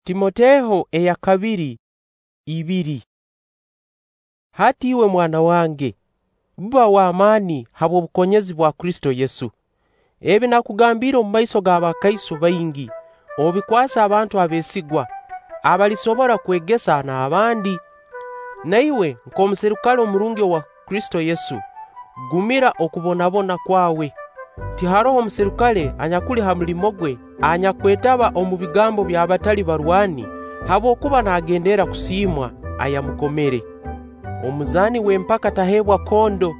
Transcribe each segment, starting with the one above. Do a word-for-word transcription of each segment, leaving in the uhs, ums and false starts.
Timoteho eya kabiri ibiri. Hati iwe mwana wange, buba w'amaani habw'obukonyezi bwa Kristo Yesu. Ebi nakugambiire omu maiso g'abakaiso baingi, obikwase abantu abeesigwa, abalisobora kwegesa n'abandi. Na iwe nk'omuserikale omurungi owa Kristo Yesu, gumira okubonabona kwawe. Tiharoho omuserikale anyakuli ha mulimo gwe anyakwetaba omu bigambo by'abatali barwani, habwokuba naagenderra kusiimwa ayamukomere. Omuzaani w'empaka taheebwa kondo,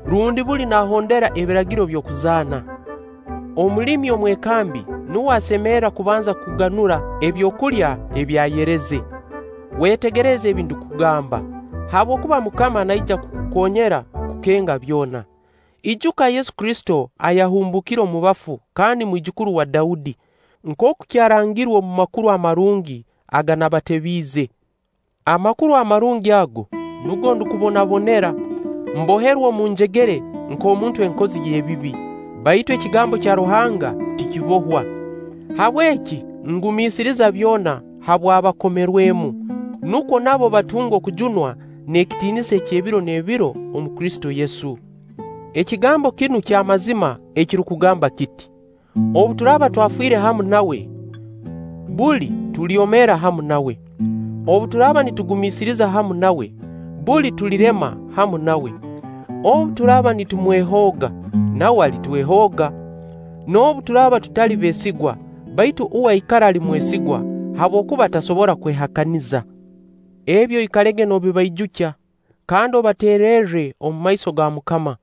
rundi buli naahondera ebiragiro by'okuzaana. Omulimi omwekambi nuwe asemerra kubanza kuganura ebyokulya ebi ayereze. Weetegereze ebi ndukugamba, habwokuba Mukama naija kukukonyera kukenga byona. Ijuka Yesu Kristo ayahumbukire omu bafu kandi mwijukuru wa Daudi, nkooku kyarangirwe omu Makuru Amarungi aga nabatebiize. Amakuru amarungi ago nugo ndukubonabonera, mboherwe omu njegere nk'omuntu enkozi y'ebibi. Baitu ekigambo kya Ruhanga tikibohwa. Habweki ngumiisiriza byona habw'abakomerwemu, nukwo nabo batunge okujunwa n'ekitiinisa eky'ebiro n'ebiro omu Kristo Yesu. Ekigambo kinu ky'amazima ekirukugamba kiti: Obu turaaba twafiire hamu nawe, buli tulyomeera hamu nawe. Obu turaaba nitugumiisiriza hamu nawe, buli tulirema hamu nawe. Obu turaaba nitumwehooga, nawe alitwehooga. N'obu turaaba tutali beesigwa, baitu uwe aikara ali mwesigwa, habwokuba tasobora kwehakaniza. Ebyo oikalege noobibaijukya, kandi obateererre omu maiso ga Mukama.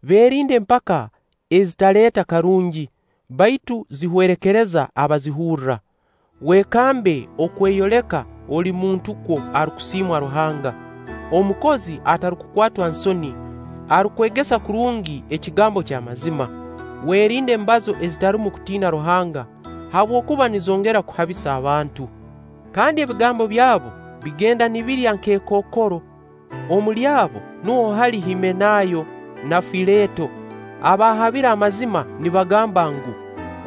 Beerinde empaka ezitaleeta karungi, baitu zihwerekereza abazihurra. Weekambe okweyoleka oli muntu kwo arukusiimwa Ruhanga, omukozi atarukukwatwa nsoni, arukwegesa kurungi ekigambo ky'amazima. Weerinde embazo ezitarumu kutiina Ruhanga, habwokuba nizongera kuhabisa abantu. Kandi ebigambo byabo bigenda nibirya nk'ekookoro. Omuli abo nuho hali Himenayo na Fileto, abahabire amazima nibagamba ngu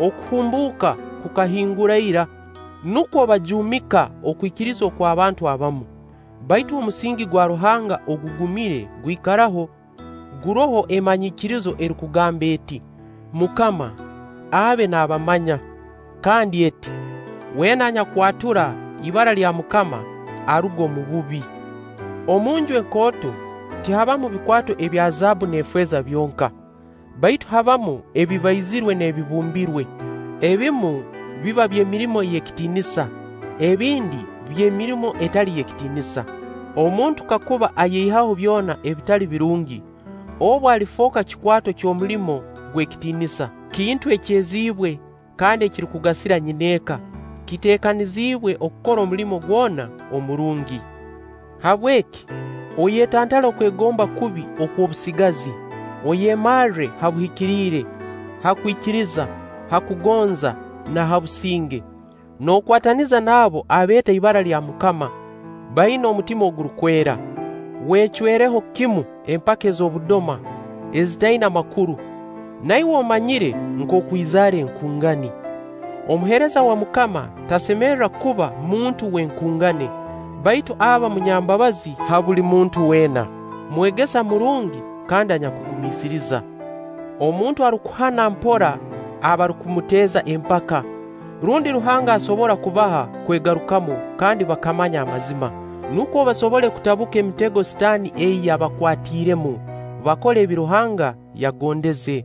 okuhumbuuka kukahingura ira, nukwo bajuumika okwikiriza okw'abantu abamu. Baitu omusingi gwa Ruhanga ogugumire gwikaraho, guroho emanyikirizo erukugamba eti: Mukama abe naabamanya, kandi eti: Weena anyakwatura ibara lya Mukama aruga omu bubi. Omu nju enkooto tihabamu bikwato ebya zaabbu n'efeeza byonka, baitu habamu ebibaizirwe n'ebibumbirwe. Ebimu biba by'emirimo ey'ekitiinisa, ebindi by'emirimo etali y'ekitiinisa. Omuntu kakuba ayeihaho byona ebitali birungi, obu alifooka kikwato ky'omulimo gw'ekitiinisa, kintu ekyeziibwe kandi ekirukugasira nyineeka, kiteekaniziibwe okukora omulimo gwona omurungi. Habweki oyetantale okwegomba kubi okw'obusigazi, oyemarre ha buhikiriire, ha kwikiriza, ha kugonza na ha businge, nookwataniza n'abo abeeta ibara lya Mukama, baina omutima ogurukwera. Weecwereho kimu empaka ez'obudoma ezitaina makuru, na iwe omanyire nkooku izaara enkungani. Omuheereza wa Mukama tasemerra kuba muntu w'enkungane, baitu aba munyambabazi ha buli muntu weena, mwegesa murungi kandi anyakugumiisiriza. Omuntu arukuhana mpora abarukumuteeza empaka, rundi Ruhanga asobora kubaha kwegarukamu kandi bakamanya amazima, nukwo basobole kutabuka emitego Sitaani ei yabakwatiiremu, bakole ebi Ruhanga yagondeze.